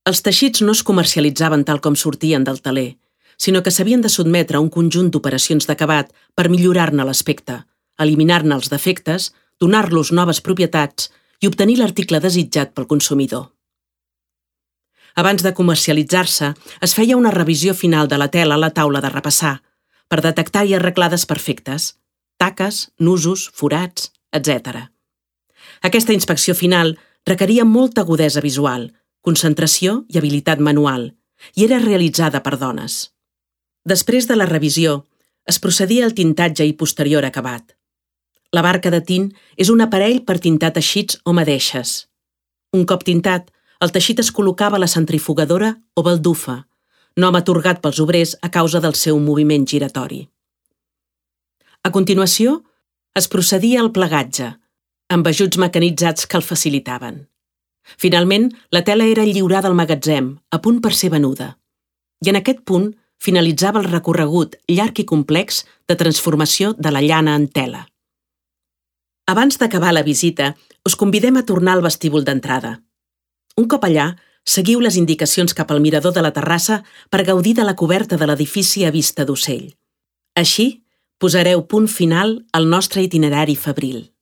Els teixits no es comercialitzaven tal com sortien del teler, sinó que s'havien de sotmetre a un conjunt d'operacions d'acabat per millorar-ne l'aspecte, eliminar-ne els defectes, donar-los noves propietats i obtenir l'article desitjat pel consumidor. Abans de comercialitzar-se, es feia una revisió final de la tela a la taula de repassar, per detectar i arreglar desperfectes, taques, nusos, forats, etc. Aquesta inspecció final requeria molta agudesa visual, concentració i habilitat manual, i era realitzada per dones. Després de la revisió, es procedia al tintatge i posterior acabat. La barca de tint és un aparell per tintar teixits o madeixes. Un cop tintat, el teixit es col·locava a la centrifugadora o baldufa, nom atorgat pels obrers a causa del seu moviment giratori. A continuació, es procedia al plegatge, amb ajuts mecanitzats que el facilitaven. Finalment, la tela era lliurada al magatzem, a punt per ser venuda. I en aquest punt finalitzava el recorregut llarg i complex de transformació de la llana en tela. Abans d'acabar la visita, us convidem a tornar al vestíbul d'entrada. Un cop allà, seguiu les indicacions cap al mirador de la terrassa per gaudir de la coberta de l'edifici a vista d'ocell. Així, posareu punt final al nostre itinerari febril.